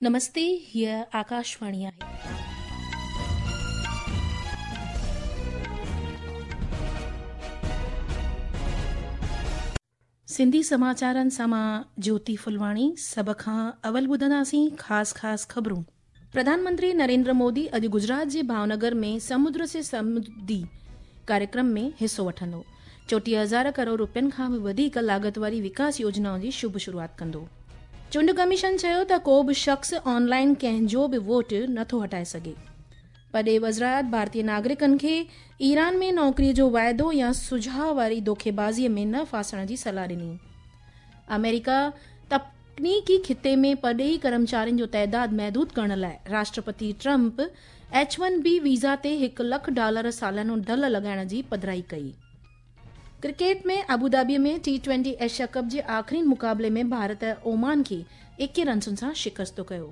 نمستي هيء آڪاشواڻي آهي. سنڌي سماچارن سان مان جيوتي ڦلواڻي سڀ کان اول ٻڌنداسين خاص خاص خبرون. پرڌان منتري نريندر مودي اڄ گجرات جي ڀاونگر ۾ سمدر سي سمرڌي ڪاريڪرم ۾ حصو وٺندو. 34000 ڪروڙ روپين کان به وڌيڪ لاڳت واري وڪاس يوجنائن جي شڀ شروعات ڪندو. چونڊ ڪميشن چيو ته ڪو به شخص آن لائن ڪنهن جو به ووٽ نٿو هٽائي سگهي. پرڏيهي وزارت ڀارتي ناگرڪن کي ايران ۾ نوڪري جو واعدو يا سجهاء واري دوکيبازي ۾ نه ڦاسڻ جي صلاح ڏني. آمريڪا تڪنيڪي خطي ۾ پرڏيهي ڪرمچارين جو تعداد محدود ڪرڻ لاء Rashtrapati Trump H one B visa تي هڪ لک ڊالر ساليانو ڍل لڳائڻ جي پڌرائي ڪئي. Cricket ۾ Abu Dhabi ۾ T twenty Asia cup جي آخرين مقابلي ۾ ڀارت اومان کي 21 رنسن سان شڪست ڪيو.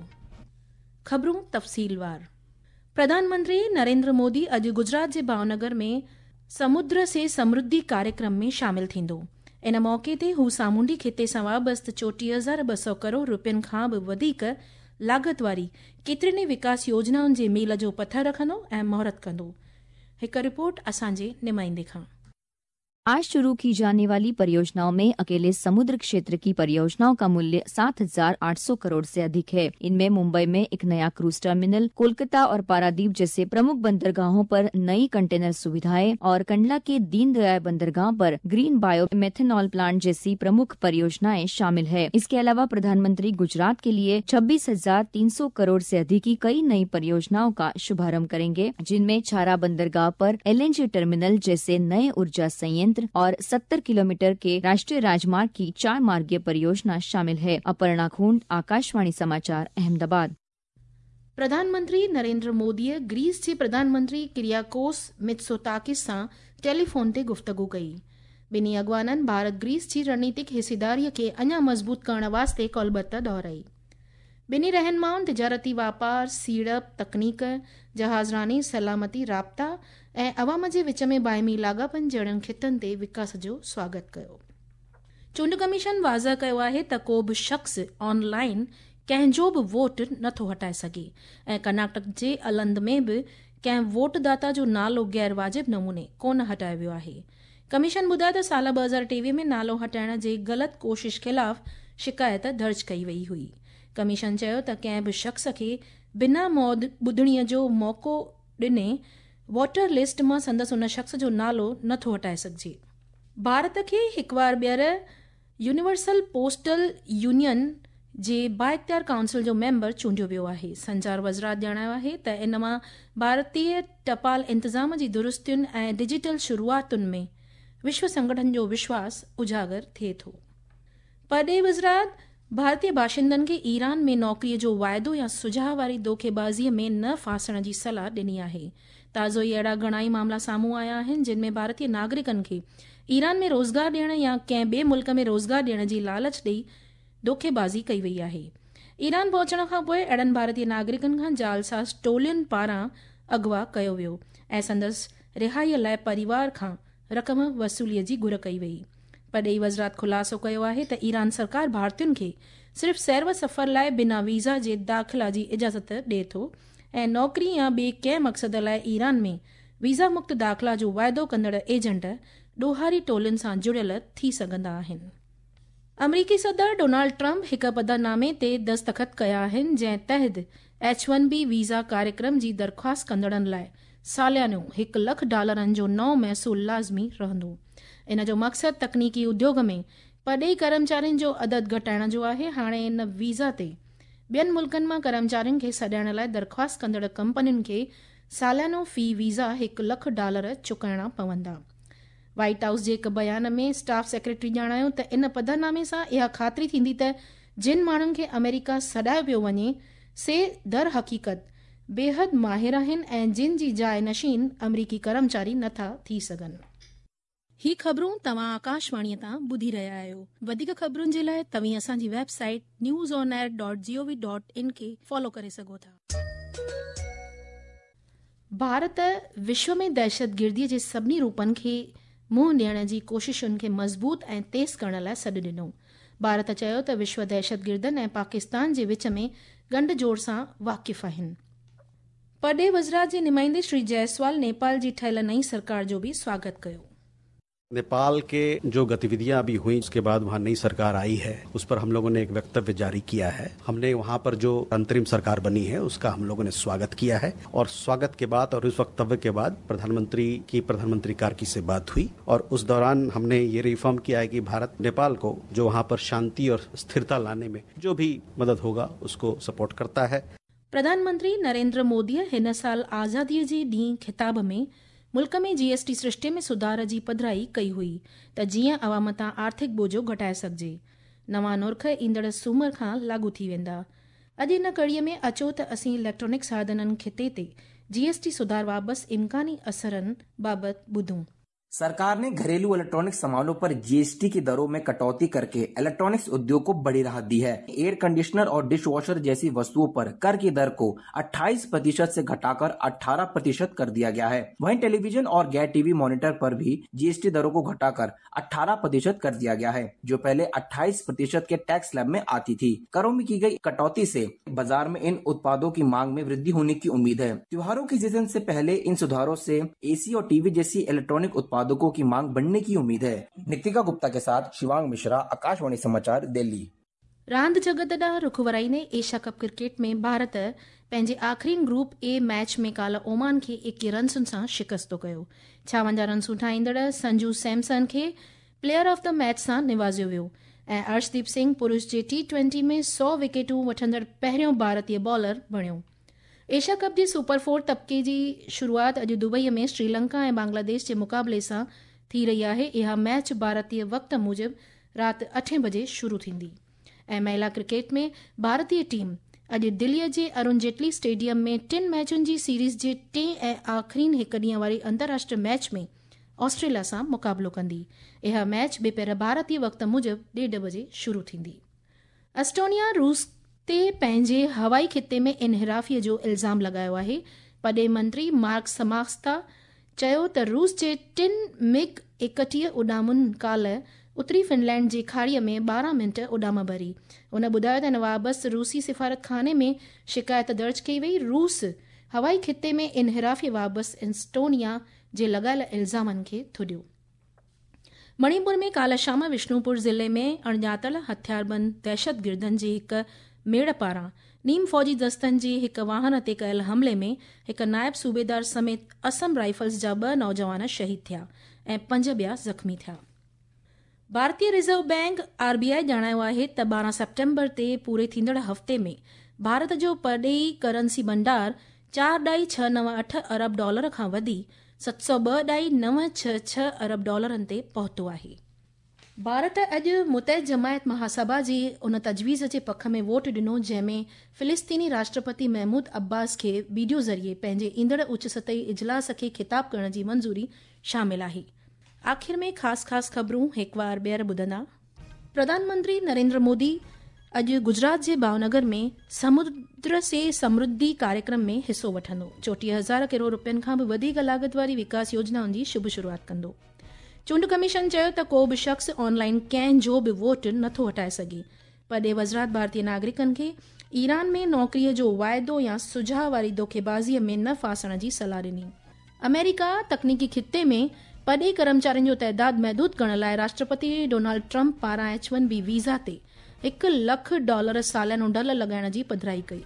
خبرون تفصيلوار پرڌان منتري نريندر مودي اڄ گجرات جي ڀاونگر ۾ سمدر سي سمرڌي ڪاريڪرم ۾ شامل ٿيندو. ان موقعي تي هو سامونڊي خطي سان وابسته 34200 ڪروڙ روپين کان به وڌيڪ لاڳت واري ڪيترين ئي وڪاس يوجنائن جي ميل جو پٿر رکندو ۽ مهورت ڪندو. هڪ رپورٽ اسان جي نمائندي کان. आज शुरू की जाने वाली परियोजनाओं में अकेले समुद्र क्षेत्र की परियोजनाओं का मूल्य 7,800 करोड़ से अधिक है। इनमें मुंबई में एक नया क्रूज टर्मिनल, कोलकाता और पारादीप जैसे प्रमुख बंदरगाहों पर नई कंटेनर सुविधाएं और कंडला के दीनदयाल बंदरगाह पर ग्रीन बायो मेथेनॉल प्लांट जैसी प्रमुख परियोजनाएं शामिल है। इसके अलावा प्रधानमंत्री गुजरात के लिए 26,300 करोड़ से अधिक की कई नई परियोजनाओं का शुभारंभ करेंगे, जिनमें छारा बंदरगाह पर एलएनजी टर्मिनल जैसे नए ऊर्जा संयंत्र और 70 किलोमीटर के राष्ट्रीय राजमार्ग की 4 मार्गीय परियोजना शामिल है। अपर्णा खूंट, आकाशवाणी समाचार, अहमदाबाद। प्रधानमंत्री नरेंद्र मोदीअ ग्रीस जे प्रधानमंत्री किरियाकोस मित्सोताकिस सां टेलीफोन ते गुफ्तगू कई। ॿिन्ही अॻवाननि भारत ग्रीस जी रणनीतिक हिस्सेदारीअ खे अञा मज़बूत करण वास्ते कोलबत दोहराई। ॿिन्ही रहनुमाउनि तिजारती वापार, सीड़प, तकनीक, जहाज़रानी, सलामती, राब्ता ऐं अवाम जे विच में बाहिमी लाॻापनि जहिड़नि ख़ितनि ते विकास जो स्वागत कयो। चूंड कमीशन वाज़ह कयो आहे त को बि शख़्स ऑनलाइन कंहिंजो बि वोट नथो हटाए सघे ऐं कर्नाटक जे अलंद में बि कंहिं वोटदाता जो नालो गैर वाजिब नमूने कोन हटायो वियो आहे। कमीशन ॿुधायो त साल 2023 में नालो हटाइण जे ग़लति कोशिश ख़िलाफ़ शिकायत दर्ज कई वई हुई। कमीशन चयो त कंहिं बि शख़्स खे बिना ॿुधणीअ जो मौक़ो ॾिने वोटर लिस्ट मां संदसि उन शख़्स जो नालो नथो हटाए सघिजे। भारत खे हिकु बार ॿीहर यूनिवर्सल पोस्टल यूनियन जे बाइख़्तियार काउंसिल जो मेंबर चूंडियो वियो आहे। संचार वज़ारत ॼाणायो आहे त इन मां भारतीय टपाल इंतज़ाम जी दुरुस्तियुनि ऐं डिजिटल शुरूआतुनि में विश्व संगठन जो विश्वास उजागर थिए थो। परॾेही वज़ारत भारतीय बाशिंदनि खे ईरान में नौकरीअ जो वाइदो या सुझाव वारी दोखेबाज़ीअ में न फासण जी सलाह ॾिनी आहे। ताज़ो ई अहिड़ा घणा ई मामला साम्हूं आया आहिनि जिन में भारतीय नागरिकनि खे ईरान में रोज़गार ॾियण या कंहिं ॿिए मुल्क में रोज़गार ॾियण जी लालच ॾेई दोखेबाज़ी कई वई आहे। ईरान पहुचण खां पोइ अहिड़नि भारतीय नागरिकनि खां जालसाज़ टोलियुनि पारां अगवा कयो वियो ऐं संदसि रिहाईअ लाइ परिवार खां रक़म वसूलीअ जी घुर कई वई। परॾेही वज़ारत ख़ुलासो कयो आहे त ईरान सरकार भारतीयुनि खे सिर्फ़ सैर व सफ़र लाइ बिना वीज़ा जे दाख़िला जी इजाज़त ॾिए थो ऐं नौकरी या ॿिए कंहिं मक़सद लाइ ईरान में वीज़ा मुक्त दाख़िला जो वाइदो कंदड़ एजेंट ॾोहारी टोलियुनि सां जुड़ियल थी सघंदा आहिनि। अमरीकी सदर डोनाल्ड ट्रंप हिकु पधरनामे ते दस्तख़त कया आहिनि जंहिं तहत H-1B visa कार्यक्रम जी दरख़्वास्त कंदड़नि लाइ सालियानो 1 लख डॉलरनि जो नओं महसूल लाज़मी रहंदो। इन जो मक़सदु तकनीकी उद्योग में परॾेही कर्मचारियुनि जो अदद घटाइण जो आहे। हाणे इन वीज़ा ते ॿियनि मुल्कनि मां कर्मचारियुनि खे सॾाइण लाइ दरख़्वास्त कंदड़ कंपनियुनि खे सालियानो फ़ी वीज़ा 1 लख डॉलर चुकाइणा पवंदा। वाइट हाउस जे हिकु बयान में स्टाफ सेक्रेटरी ॼाणायो त इन पधरनामे सां इहा ख़ातिरी थींदी त जिन माण्हुनि खे अमेरिका सॾायो पियो वञे से दर हक़ीक़त बेहद माहिर आहिनि ऐं जिन जी जाइ नशीन अमरीकी कर्मचारी नथा थी सघनि। ही ख़बरूं तव्हां आकाशवाणीअ तां ॿुधी रहिया आहियो। वधीक ख़बरुनि जे लाइ तव्हीं असांजी वेबसाइट newsonair.gov.in खे फॉलो करे सघो था। भारत विश्व में दहशतगिर्दीअ जे सभिनी रूपनि खे मुंहुं ॾियण जी कोशिशुनि खे मज़बूत ऐं तेज़ करण लाइ सॾु ॾिनो। भारत चयो त विश्व दहशतगिर्दनि ऐं पाकिस्तान जे विच में ڳنڍ جوڙ سان واقف آهن. پرڏيهي وزارت جي نمائندي شري جئسوال نيپال جي ٺهيل نئين سرڪار جو به سواگت ڪيو. नेपाल के जो गतिविधियां अभी हुई उसके बाद वहां नई सरकार आई है, उस पर हम लोगों ने एक वक्तव्य जारी किया है। हमने वहां पर जो अंतरिम सरकार बनी है उसका हम लोगों ने स्वागत किया है और स्वागत के बाद और उस वक्तव्य के बाद प्रधानमंत्री की प्रधानमंत्री कार्की से बात हुई और उस दौरान हमने ये रिफॉर्म किया है कि भारत नेपाल को जो वहाँ पर शांति और स्थिरता लाने में जो भी मदद होगा उसको सपोर्ट करता है। प्रधानमंत्री नरेंद्र मोदीअ हिन साल आज़ादीअ जे ॾींहुं ख़िताब में मुल्क में जीएसटी सृष्टे में सुधार जी पधराई कई हुई त जीअं अवाम तां आर्थिक बोझो घटाए सघिजे। नवां नुर्ख ईंदड़ सूमर खां लागू थी वेंदा। अॼु इन कड़ीअ में अचो त असीं इलेक्ट्रॉनिक साधननि खिते ते जीएसटी सुधार वापसि इम्कानी असरनि बाबति ॿुधूं। सरकार ने घरेलू इलेक्ट्रॉनिक सामानों पर जीएसटी की दरों में कटौती करके इलेक्ट्रॉनिक्स उद्योग को बड़ी राहत दी है। एयर कंडीशनर और डिश वॉशर जैसी वस्तुओं पर कर की दर को 28% से घटाकर 18% कर दिया गया है। वहीं टेलीविजन और गैर टीवी मॉनिटर पर भी जीएसटी दरों को घटाकर 18% कर दिया गया है, जो पहले 28% के टैक्स स्लैब में आती थी। करों में की गई कटौती से बाजार में इन उत्पादों की मांग में वृद्धि होने की उम्मीद है। त्योहारों की सीजन से पहले इन सुधारों से एसी और टीवी जैसी इलेक्ट्रॉनिक उत्पादों की मांग बढ़ने की उम्मीद है। नितिका गुप्ता के साथ शिवांग मिश्रा, आकाशवाणी समाचार, दिल्ली। रांदि जगत ॾांहुं रुख वराईंदे एशिया कप क्रिकेट में भारत पंहिंजे आख़िरी ग्रुप ए मैच में काल्ह ओमान खे 21 रनसुनि सां शिकस्तो कयो। 56 रनसूं ठाहींदड़ संजू सैमसन खे प्लेयर ऑफ the match सां निवाज़ियो वियो ऐं अर्शदीप सिंह पुरुष जे टी20 में 100 विकेटूं वठंदड़ पहिरियों भारतीय बॉलर बणियो। एशिया कप जे सुपर 4 तबके जी शुरूआत अॼु दुबईअ में श्रीलंका ऐं बांग्लादेश जे मुक़ाबले सां थी रही आहे। इहा मैच भारतीय वक़्त मूजिबि राति 8 बजे शुरू थींदी। ऐं महिला क्रिकेट में भारतीय टीम अॼु दिल्लीअ जे अरुण जेटली स्टेडियम में 3 मैचुनि जी सीरीज़ जे टे ऐं आख़िरीन हिकु ॾींहं वारी अंतर्राष्ट्रीय मैच में ऑस्ट्रेलिया सां मुक़ाबिलो कंदी। इहा मैच ॿिपहर भारतीय वक़्त मूजिबि 1:30 बजे शुरू थींदी। एस्टोनिया रूस ते पंहिंजे हवाई खिते में इनहिराफ़ीअ जो इल्ज़ाम लॻायो आहे। पॾे मंत्री मार्क समास्ता चयो त रूस जे 3 मिग 31 उॾामुनि काल्ह उत्तरी फिनलैंड जे खाड़ीअ में 12 मिंट उॾाम भरी। हुन ॿुधायो त इन वापसि रूसी सिफारत खाने में शिकायत दर्ज कई वई। रूस हवाई खिते में इनहिराफ़ी वापसि एस्टोनिया जे लॻायल इल्ज़ामनि खे थुॾियो। मणिपुर में काल्ह शाम विष्णुपुर ज़िले में अणॼातल हथियारबंद दहशतगिर्दनि जे हिकु मेड़ पारां नीम फ़ौजी दस्तनि जे हिकु वाहन ते कयल हमले में हिकु नायब सूबेदार समेत असम राइफल्स जा 2 नौजवान शहीद थिया ऐं 5 ॿिया ज़ख़्मी थिया। भारतीय रिज़र्व बैंक आरबीआई ॼाणायो आहे त 12 सेप्टेम्बर ते पूरे थींदड़ हफ़्ते में भारत जो परॾेही करेंसी भंडार 4.698 अरब डॉलर खां वधी 702.966 अरब डॉलरनि ते पहुतो आहे। भारत अॼु मुतहद जमायत महासभा जी उन तजवीज़ जे पख में वोट ॾिनो जंहिं में फ़िलिस्तीनी राष्ट्रपति महमूद अब्बास खे वीडियो ज़रिए पंहिंजे ईंदड़ उच्च सतही इजलास खे ख़िताब करण जी मंज़ूरी शामिल आहे। आख़िर में ख़ासि ख़ासि ख़बरूं हिकु वार ॿीहर ॿुधंदा। प्रधानमंत्री नरेंद्र मोदी अॼु गुजरात जे भावनगर में समुद्र से समृद्धि कार्यक्रम में हिसो वठंदो। 34,000 करोड़ रुपयनि खां बि वधीक लागत वारी विकास योजनाउनि जी शुभ शुरूआत कंदो। चूंड कमीशन चयो त को बि शख़्स ऑनलाइन कंहिंजो बि वोट नथो हटाए सघे। परॾेह वज़ारत भारतीय नागरिकनि खे ईरान में नौकरीअ जो वाइदो या सुझाव वारी धोखेबाज़ीअ में न फासण जी सलाह ॾिनी। अमेरिका तकनीकी खिते में परॾेही कर्मचारियुनि जो तइदाद महदूद करण लाइ राष्ट्रपति डोनाल्ड ट्रंप पारां H-1B visa ते $1 लाख सालानो ढल लॻाइण जी पधराई कई।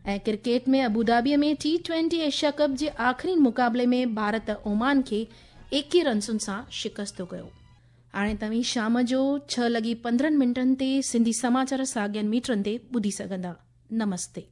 ऐं क्रिकेट में अबूधाबीअ में टी20 एशिया कप जे आख़िरी मुक़ाबले में भारत ओमान खे 21 रनसुनि सां शिकस्तो कयो। हाणे तव्हीं शाम जो 6:15 ते सिंधी समाचार साॻियनि मीटरनि ते ॿुधी सघंदा। नमस्ते।